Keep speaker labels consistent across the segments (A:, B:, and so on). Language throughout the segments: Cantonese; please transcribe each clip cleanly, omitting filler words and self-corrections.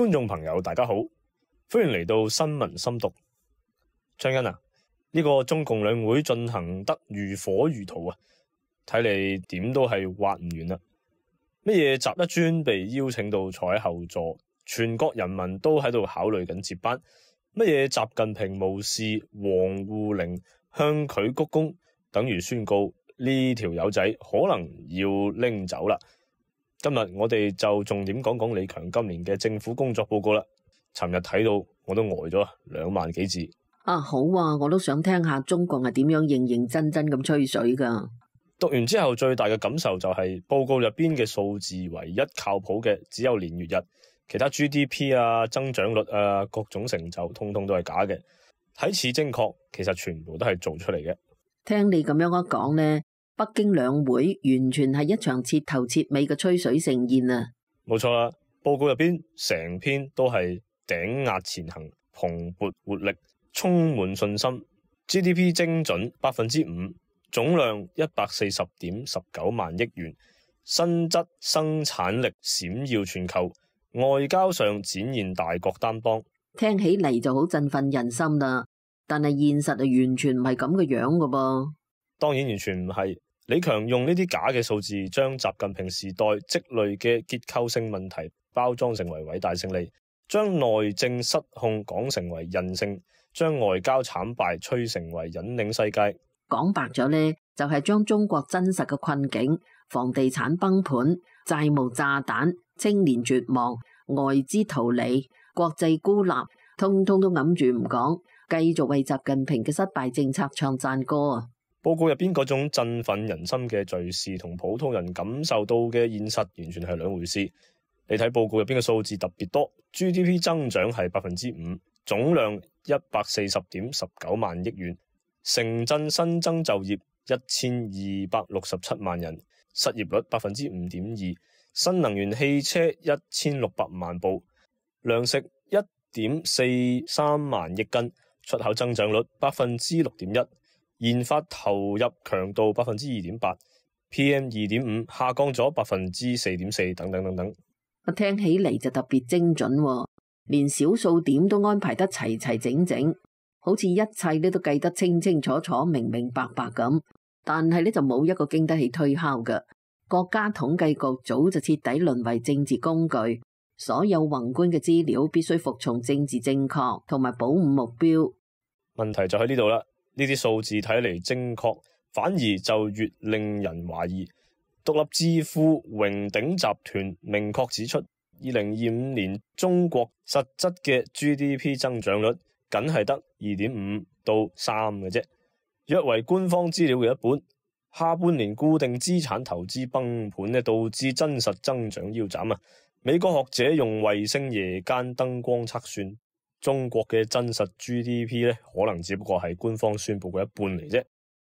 A: 觀眾朋友大家好，歡迎嚟到新聞深讀。張欣啊，呢個中共兩會進行得如火如荼啊，睇嚟點都係挖唔完啦。乜嘢習一尊被邀請到坐喺後座，全國人民都喺度考慮緊接班。乜嘢習近平無視王滬寧向佢鞠躬，等於宣告呢條友仔可能要拎走啦。今日我哋就重點講講李強今年嘅政府工作報告啦。尋日睇到我都呆咗2萬幾字。
B: 好啊，我都想聽下中國係點樣認認真真咁吹水噶。
A: 讀完之後最大嘅感受就係報告入邊嘅數字唯一靠譜嘅只有年月日，其他 GDP 啊、增長率啊、各種成就通通都係假嘅，睇似精確，其實全部都係做出嚟嘅。
B: 聽你咁樣一講呢，北京兩會完全係一場徹頭徹尾嘅吹水盛宴啊！冇
A: 錯啦，報告入邊成篇都係頂壓前行、蓬勃活力、充滿信心。GDP 精準5%，總量140.19萬億元，新質生產力閃耀全球，外交上展現大國擔當。
B: 聽起嚟就好振奮人心啦，但係現實係完全唔係咁嘅樣噶噃。
A: 當然完全唔係。李強用呢啲假嘅數字，將習近平時代積累嘅結構性問題包裝成為偉大勝利，將內政失控講成為韌性，將外交慘敗吹成為引領世界。
B: 講白咗呢，就係將中國真實嘅困境、房地產崩盤、債務炸彈、青年絕望、外資逃離、國際孤立，通通都揞住唔講，繼續為習近平嘅失敗政策唱讚歌啊！
A: 報告入邊嗰種振奮人心嘅敘事同普通人感受到嘅現實完全係兩回事。你睇報告入邊嘅數字特別多， GDP 增長係5%，總量140.19萬億元，城鎮新增就業1267萬人，失業率5.2%，新能源汽車1600萬部，糧食1.43萬億斤，出口增長率6.1%，研發投入強度2.8%， PM2.5 下降咗4.4%，等等等等。
B: 我聽起嚟就特別精準喎，連小數點都安排得齊齊整整，好似一切都計得清清楚楚、明明白白咁。但係呢就冇一個經得起推敲嘅。國家統計局早就徹底淪為政治工具，所有宏觀嘅資料必須服從政治正確同埋保五目標。
A: 問題就喺呢度啦。呢啲數字睇嚟精確，反而就越令人懷疑。獨立智庫榮鼎集團明確指出，2025年中國實質嘅 GDP 增長率僅係得2.5到3嘅啫，約為官方資料嘅一半。下半年固定資產投資崩盤呢，導致真實增長腰斬啊！美國學者用衛星夜間燈光測算，中國嘅真實 GDP 呢，可能只不過係官方宣布嘅一半嚟啫。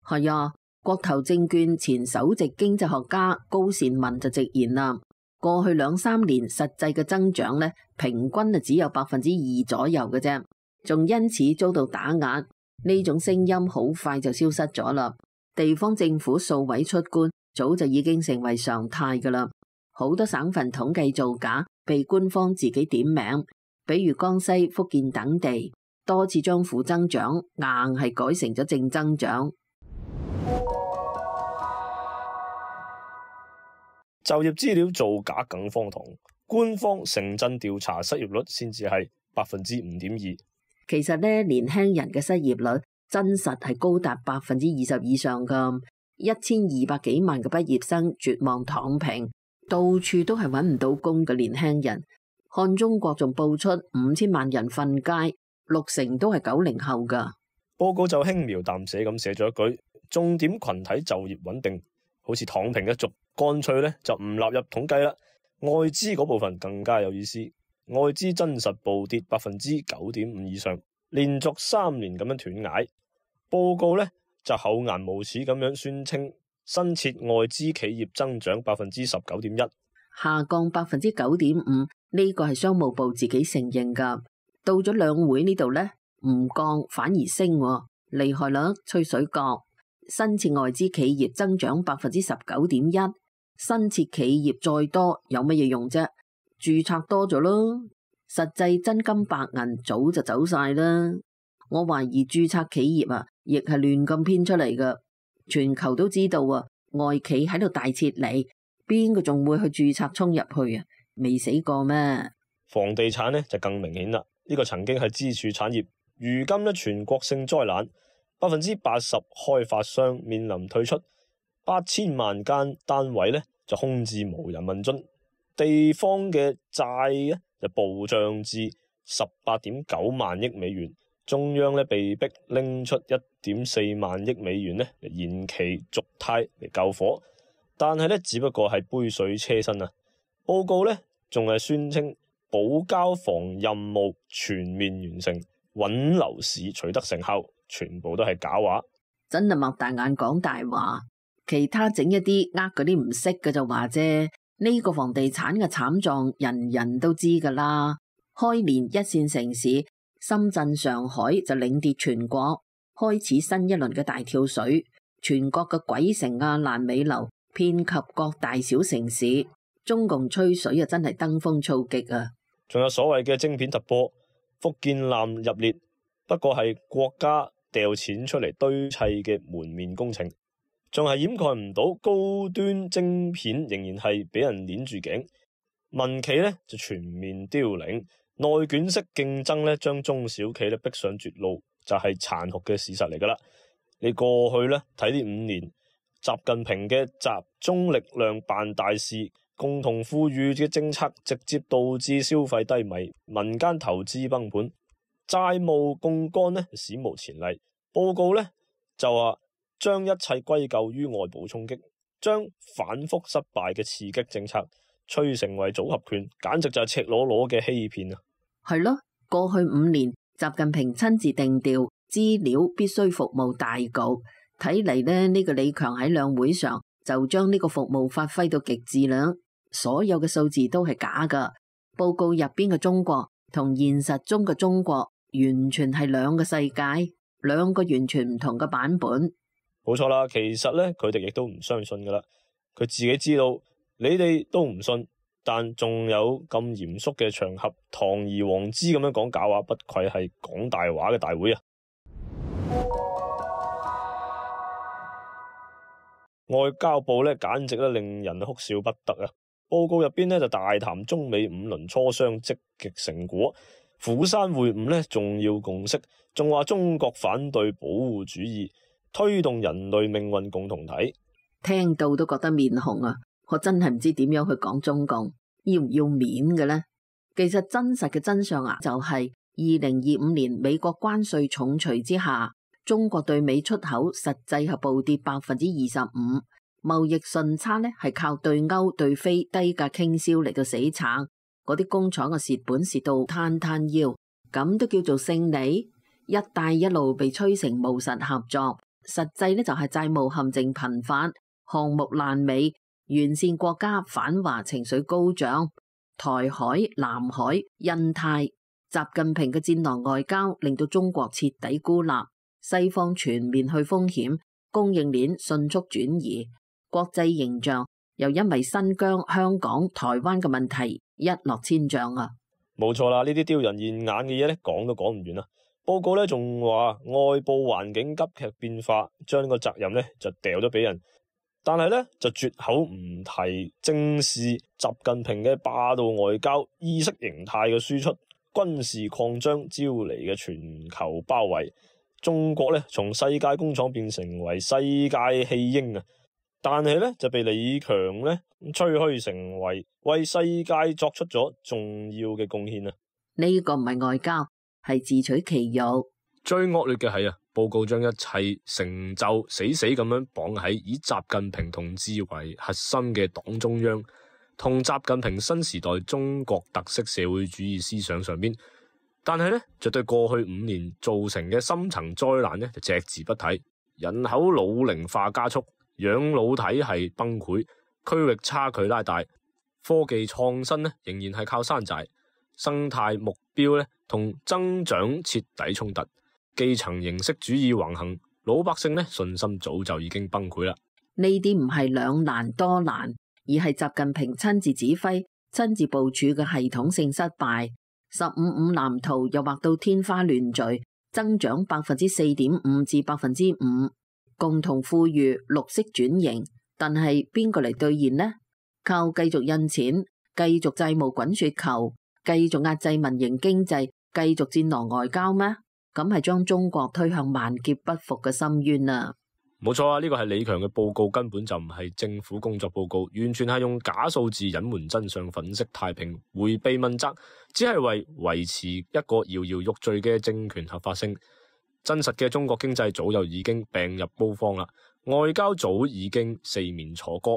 B: 係啊，國投證券前首席經濟學家高善文就直言啦，過去2-3年實際嘅增長呢，平均只有2%左右嘅啫，仲因此遭到打壓。呢種聲音好快就消失咗啦。地方政府數位出官早就已經成為常態噶啦，好多省份統計造假被官方自己點名。比如江西、福建等地，多次將負增長硬係改成咗正增長。
A: 就業資料造假更荒唐，官方城鎮調查失業率先至係5.2%。
B: 其實呢，年輕人嘅失業率真實係高達20%以上噶，1200幾萬嘅畢業生絕望躺平，到處都係揾唔到工嘅年輕人。看中國仲報出5000萬人瞓街，60%都係90後噶。
A: 報告就輕描淡寫咁寫咗一句，重點群體就業穩定，好似躺平一族，乾脆呢就唔納入統計啦。外資嗰部分更加有意思，外資真實暴跌9.5%以上，連續3年咁樣斷崖。報告呢就厚顏無恥咁樣宣稱，新設外資企業增長19.1%，
B: 下降9.5%。呢個係商務部自己承認噶，到咗兩會呢度呢，唔降反而升，厲害啦！吹水角，新設外資企業增長19.1%，新設企業再多有乜嘢用啫？註冊多咗咯，實際真金白銀早就走晒啦。我懷疑註冊企業啊，亦係亂咁編出嚟㗎。全球都知道啊，外企喺度大撤離，邊個仲會去註冊衝入去啊？未死過咩？
A: 房地產呢就更明顯啦，呢個曾經係支柱產業，如今呢全國性災難，80%開發商面臨退出，8000萬間單位呢就空置無人問津，地方嘅債呢就暴漲至18.9萬億美元，中央呢被逼拎出1.4萬億美元呢嚟延期續貸嚟救火，但係呢只不過係杯水車薪啊！報告呢仲係宣稱保交房任務全面完成，穩樓市取得成效，全部都係假話，
B: 真係擘大眼講大話。其他整一啲嗰啲唔識嘅就話啫。呢個房地產嘅慘狀，人人都知噶啦。開年一線城市深圳、上海就領跌全國，開始新一輪嘅大跳水。全國嘅鬼城啊、爛尾樓遍及各大小城市，中共吹水啊，真係登峰造極啊！
A: 仲有所謂嘅晶片突破，福建艦入列，不過係國家掉錢出嚟堆砌嘅門面工程，仲係掩蓋唔到高端晶片仍然係俾人捏住頸，民企呢就全面凋零，內卷式競爭呢將中小企呢逼上絕路，就係殘酷嘅事實嚟噶啦。你過去呢睇呢5年，習近平嘅集中力量辦大事，共同富裕嘅政策直接導致消費低迷，民間投資崩盤，債務槓桿呢史無前例。報告呢就話將一切歸咎於外部衝擊，將反覆失敗嘅刺激政策吹成為組合拳，簡直就係赤裸裸嘅欺騙啊！
B: 係咯，過去5年，習近平親自定調，資料必須服務大局。睇嚟呢個李強喺兩會上就將呢個服務發揮到極致啦。所有嘅數字都係假噶，報告入邊嘅中國同現實中嘅中國完全係兩個世界，兩個完全唔同嘅版本。
A: 冇錯啦，其實呢，佢哋亦都唔相信噶啦，佢自己知道你哋都唔信，但仲有咁嚴肅嘅場合堂而皇之咁樣講假話，不愧係講大話嘅大會啊！外交部呢簡直令人哭笑不得啊！報告入邊呢就大談中美5輪磋商積極成果，釜山會晤呢重要共識，仲話中國反對保護主義，推動人類命運共同體。
B: 聽到都覺得面紅啊！我真係唔知點樣去講中共，要唔要面嘅呢？其實真實嘅真相啊，就係2025年美國關稅重錘之下，中國對美出口實際係暴跌25%，貿易順差呢係靠對歐對非低價傾銷嚟到死撐，嗰啲工廠嘅蝕本蝕到攤攤腰，咁都叫做勝利？一帶一路被吹成務實合作，實際呢就係債務陷阱頻發，項目爛尾，沿線國家反華情緒高漲，台海、南海、印太，習近平嘅戰狼外交令到中國徹底孤立，西方全面去風險，供應鏈迅速轉移，國際形象又因為新疆、香港、台灣嘅問題一落千丈啊！
A: 冇錯啦，呢啲丟人現眼嘅嘢呢講都講唔完啦。報告呢仲話外部環境急劇變化，將呢個責任呢就掉咗俾人，但係呢就絕口唔提正視習近平嘅霸道外交、意識形態嘅輸出、軍事擴張招嚟嘅全球包圍。中國呢從世界工廠變成為世界棄嬰啊！但係呢就被李強呢吹噓成為世界作出咗重要嘅貢獻啊！
B: 呢個唔係外交，係自取其辱。
A: 最惡劣嘅係啊，報告將一切成就死死咁樣綁喺以習近平同志為核心嘅黨中央同習近平新時代中國特色社會主義思想上邊，但係呢，就對過去5年造成嘅深層災難呢就隻字不提。人口老齡化加速，養老體系崩潰，區域差距拉大，科技創新呢仍然係靠山寨，生態目標呢同增長徹底衝突，基層形式主義橫行，老百姓呢信心早就已經崩潰啦。
B: 呢啲唔係兩難多難，而係習近平親自指揮、親自部署嘅系統性失敗。15/5藍圖又畫到天花亂墜，增長4.5%至5%，共同富裕綠色轉型。但係邊個嚟兌現呢？靠繼續印錢、繼續債務滾雪球、繼續壓制民營經濟、繼續戰狼外交咩？咁係將中國推向萬劫不復嘅深淵啊！
A: 冇錯啊，呢個係李強嘅報告，根本就唔係政府工作報告，完全係用假數字隱瞞真相、粉飾太平、迴避問責，只係為維持一個搖搖欲墜嘅政權合法性。真實嘅中國經濟早就已經病入膏肓啦，外交早已經四面楚歌，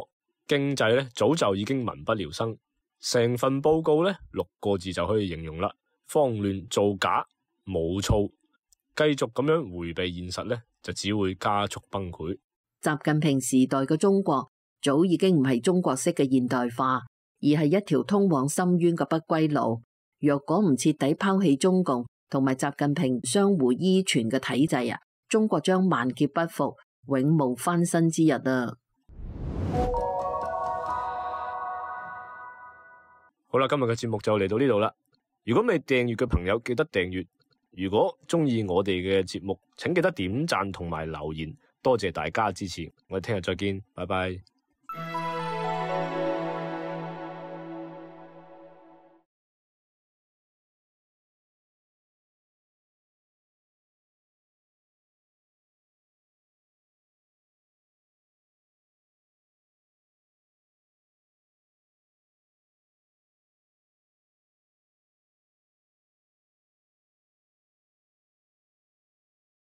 A: 經濟咧早就已經民不聊生。成份報告咧6個字就可以形容啦：慌亂、造假、冇措。繼續咁樣迴避現實咧，就只會加速崩潰。
B: 習近平時代嘅中國早已經唔係中國式嘅現代化，而係一條通往深淵嘅不歸路。若果唔徹底拋棄中共同埋習近平相互依存嘅體制啊，中國將萬劫不復，永無翻身之日啊！
A: 好啦，今日嘅節目就嚟到呢度啦。如果未訂閱嘅朋友，記得訂閱。如果中意我哋嘅節目，請記得點讚同埋留言，多謝大家支持。我哋聽日再見，拜拜。